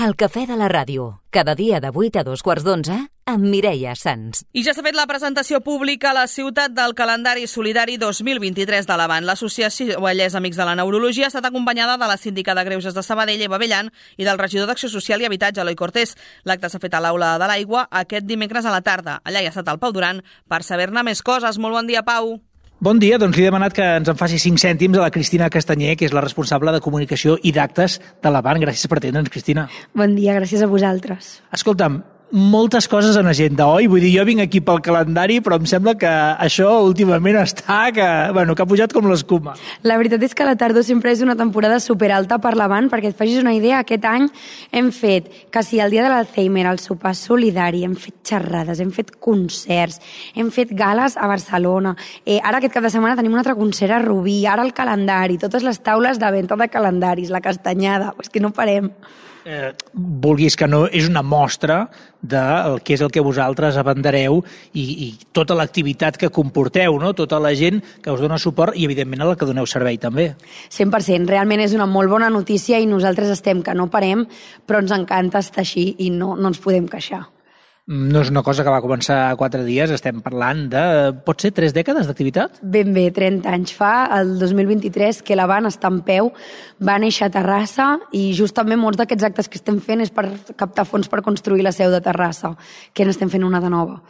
El cafè de la ràdio, cada dia de 8 a 2:15 amb Mireia Sans. I ja s'ha fet la presentació pública a la ciutat del calendari solidari 2023 de l'Avant. L'associació Vallès Amics de la Neurologia ha estat acompanyada de la síndica de Greuges de Sabadell, Eva Bellan, i del regidor d'Acció Social i Habitatge, Eloi Cortés. L'acte s'ha fet a l'Aula de l'Aigua aquest dimecres a la tarda. Allà hi ha estat el Pau Duran per saber-ne més coses. Molt bon dia, Pau. Bon dia, doncs li he demanat que ens en faci 5 cèntims a la Cristina Castanyer, que és la responsable de comunicació i d'actes de l'Avant. Gràcies per atendre'ns, Cristina. Bon dia, gràcies a vosaltres. Escolta'm, moltes coses en agenda, oi? Vull dir, jo vinc aquí pel calendari, però em sembla que això últimament està que ha pujat com l'escuma. La veritat és que la tardor sempre és una temporada superalta per l'Avant, perquè et facis una idea, aquest any hem fet quasi el dia de l'Alzheimer, el sopar solidari, hem fet xerrades, hem fet concerts, hem fet gales a Barcelona, ara aquest cap de setmana tenim un altre concert a Rubí, ara el calendari, totes les taules de venda de calendaris, la castanyada, és que no parem. Vulguis que no, és una mostra del que és el que vosaltres abandereu i tota l'activitat que comporteu, no? Tota la gent que us dona suport i, evidentment, a la que doneu servei també. 100%. Realment és una molt bona notícia i nosaltres estem que no parem, però ens encanta estar així i no ens podem queixar. No és una cosa que va començar 4 dies, estem parlant de, pot ser, 3 dècades d'activitat? Ben bé, 30 anys fa, el 2023, que l'Avant està en peu, va néixer a Terrassa i justament molts d'aquests actes que estem fent és per captar fons per construir la seu de Terrassa, que n'estem fent una de nova.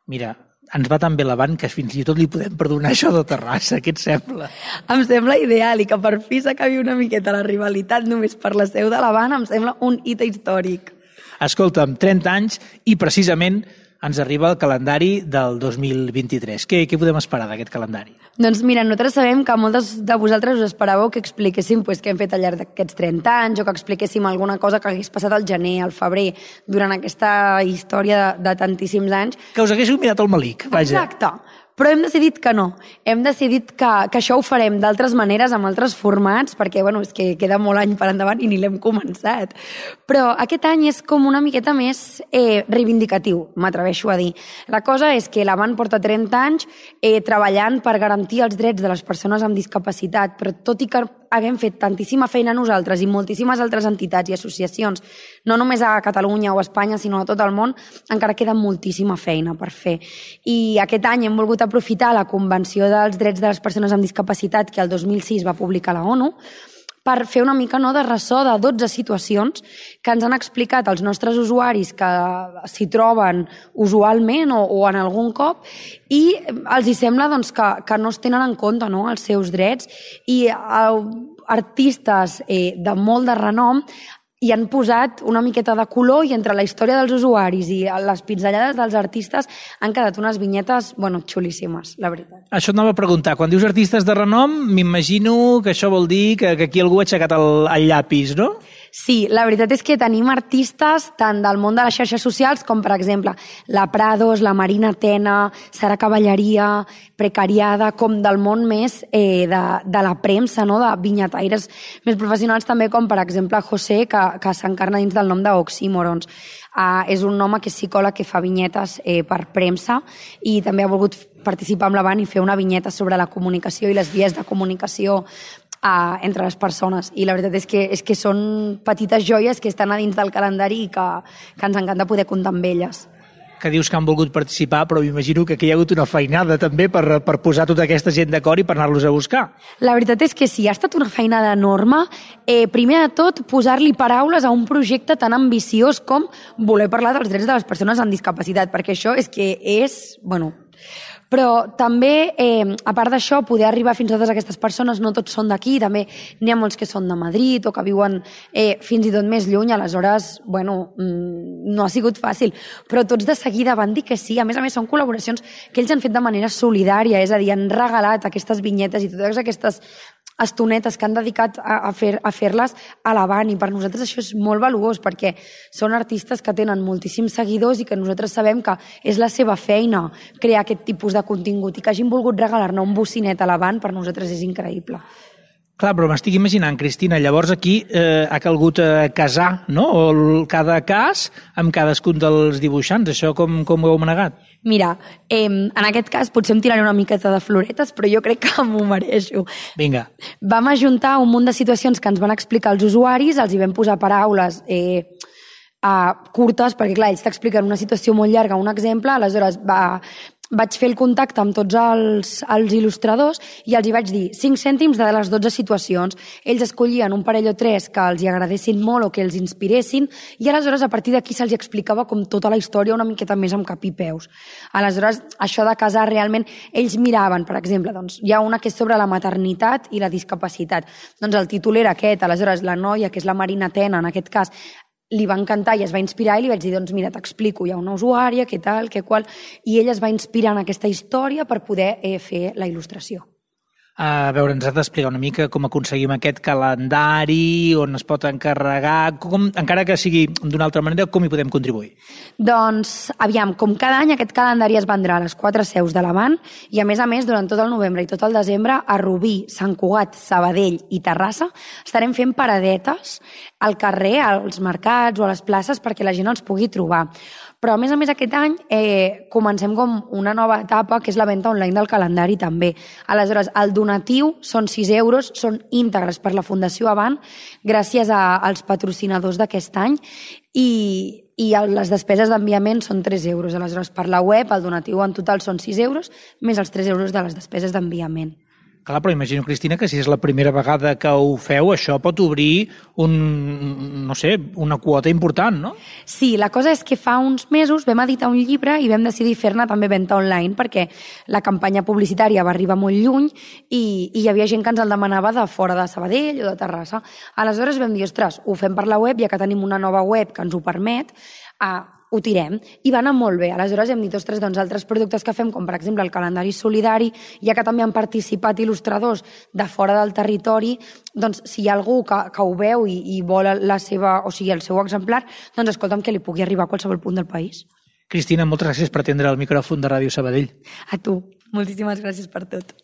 Mira, ens va tan bé l'Avant que fins i tot li podem perdonar això de Terrassa, què et sembla? Em sembla ideal i que per fi s'acabi una miqueta la rivalitat només per la seu de l'Avant, em sembla un hit històric. Escolta'm, 30 anys i precisament ens arriba el calendari del 2023. Què podem esperar d'aquest calendari? Doncs mira, nosaltres sabem que moltes de vosaltres us esperàveu que expliquéssim què hem fet al llarg d'aquests 30 anys o que expliquéssim alguna cosa que hagués passat al gener, al febrer, durant aquesta història de tantíssims anys. Que us haguéssiu mirat el melic, vaja. Exacte. Però hem decidit que no. Hem decidit que això ho farem d'altres maneres, amb altres formats, perquè és que queda molt any per endavant i ni l'hem començat. Però aquest any és com una miqueta més reivindicatiu, m'atreveixo a dir. La cosa és que l'Avant porta 30 anys treballant per garantir els drets de les persones amb discapacitat, però tot i que haguem fet tantíssima feina nosaltres i moltíssimes altres entitats i associacions, no només a Catalunya o a Espanya, sinó a tot el món, encara queda moltíssima feina per fer. I aquest any hem volgut aprofitar la Convenció dels Drets de les Persones amb Discapacitat que el 2006 va publicar la ONU per fer una mica de ressò de 12 situacions que ens han explicat els nostres usuaris que s'hi troben usualment o en algun cop i els hi sembla que no es tenen en compte els seus drets i artistes de molt de renom i han posat una miqueta de color i entre la història dels usuaris i les pinzellades dels artistes han quedat unes vinyetes, xulíssimes, la veritat. Això anava a preguntar. Quan dius artistes de renom, m'imagino que això vol dir que aquí algú ha aixecat el llapis, no? Sí, la veritat és que tenim artistes tant del món de les xarxes socials com, per exemple, la Prados, la Marina Tena, Sara Cavalleria, Precariada, com del món més de la premsa, de vinyataires més professionals també, com per exemple José, que s'encarna dins del nom d'Oxímorons. És un home que és psicòleg que fa vinyetes per premsa i també ha volgut participar amb l'Avant i fer una vinyeta sobre la comunicació i les vies de comunicació entre les persones. I la veritat és que són petites joies que estan a dins del calendari i que ens encanta poder comptar amb elles. Que dius que han volgut participar, però m'imagino que aquí hi ha hagut una feinada també per posar tota aquesta gent d'acord i per anar-los a buscar. La veritat és que sí, ha estat una feinada enorme. Primer de tot, posar-li paraules a un projecte tan ambiciós com voler parlar dels drets de les persones amb discapacitat, perquè això és Però també, a part d'això, poder arribar fins a totes aquestes persones, no tots són d'aquí, també n'hi ha molts que són de Madrid o que viuen fins i tot més lluny, aleshores, no ha sigut fàcil, però tots de seguida van dir que sí. A més, són col·laboracions que ells han fet de manera solidària, és a dir, han regalat aquestes vinyetes i totes aquestes estonetes que han dedicat a fer-les a l'Avant i per nosaltres això és molt valuós perquè són artistes que tenen moltíssims seguidors i que nosaltres sabem que és la seva feina crear aquest tipus de contingut i que hagin volgut regalar-ne un bocinet a l'Avant per nosaltres és increïble. Clar, però m'estic imaginant, Cristina, llavors aquí ha calgut casar, no? Cada cas amb cadascun dels dibuixants. Això com ho heu manegat? Mira, en aquest cas potser em tiraré una miqueta de floretes, però jo crec que m'ho mereixo. Vinga. Vam ajuntar un munt de situacions que ens van explicar els usuaris, els hi vam posar paraules curtes, perquè clar, ells t'expliquen una situació molt llarga, un exemple, aleshores vaig fer el contacte amb tots els il·lustradors i els hi vaig dir 5 cèntims de les 12 situacions. Ells escollien un parell o 3 que els hi agradessin molt o que els inspiressin i aleshores a partir d'aquí se'ls explicava com tota la història una miqueta més amb cap i peus. Aleshores, això de casar realment, ells miraven, per exemple, doncs, hi ha una que és sobre la maternitat i la discapacitat. Doncs el títol era aquest, aleshores la noia, que és la Marina Tena, en aquest cas, li va encantar i es va inspirar i li vaig dir, doncs mira, t'explico, hi ha una usuària, què tal, què qual, i ella es va inspirar en aquesta història per poder fer la il·lustració. A veure, ens has d'explicar una mica com aconseguim aquest calendari, on es pot encarregar, encara que sigui d'una altra manera, com hi podem contribuir? Doncs, aviam, com cada any aquest calendari es vendrà a les 4 seus de l'Avant i a més, durant tot el novembre i tot el desembre, a Rubí, Sant Cugat, Sabadell i Terrassa estarem fent paradetes al carrer, als mercats o a les places perquè la gent els pugui trobar. Però, a més, aquest any comencem com una nova etapa, que és la venda online del calendari també. Aleshores, el donatiu són 6 euros, són íntegres per la Fundació Avant, gràcies als patrocinadors d'aquest any, i les despeses d'enviament són 3 euros. Aleshores, per la web, el donatiu en total són 6 euros, més els 3 euros de les despeses d'enviament. Clar, però imagino, Cristina, que si és la primera vegada que ho feu, això pot obrir una quota important, no? Sí, la cosa és que fa uns mesos vam editar un llibre i vam decidir fer-ne també venda online perquè la campanya publicitària va arribar molt lluny i hi havia gent que ens el demanava de fora de Sabadell o de Terrassa. Aleshores vam dir, ostres, ho fem per la web, ja que tenim una nova web que ens ho permet, ho tirem, i va anar molt bé. Aleshores hem dit, ostres, doncs altres productes que fem, com per exemple el calendari solidari, ja que també han participat il·lustradors de fora del territori, doncs si hi ha algú que ho veu i vol el seu exemplar, doncs escolta'm, que li pugui arribar a qualsevol punt del país. Cristina, moltes gràcies per atendre el micròfon de Ràdio Sabadell. A tu, moltíssimes gràcies per tot.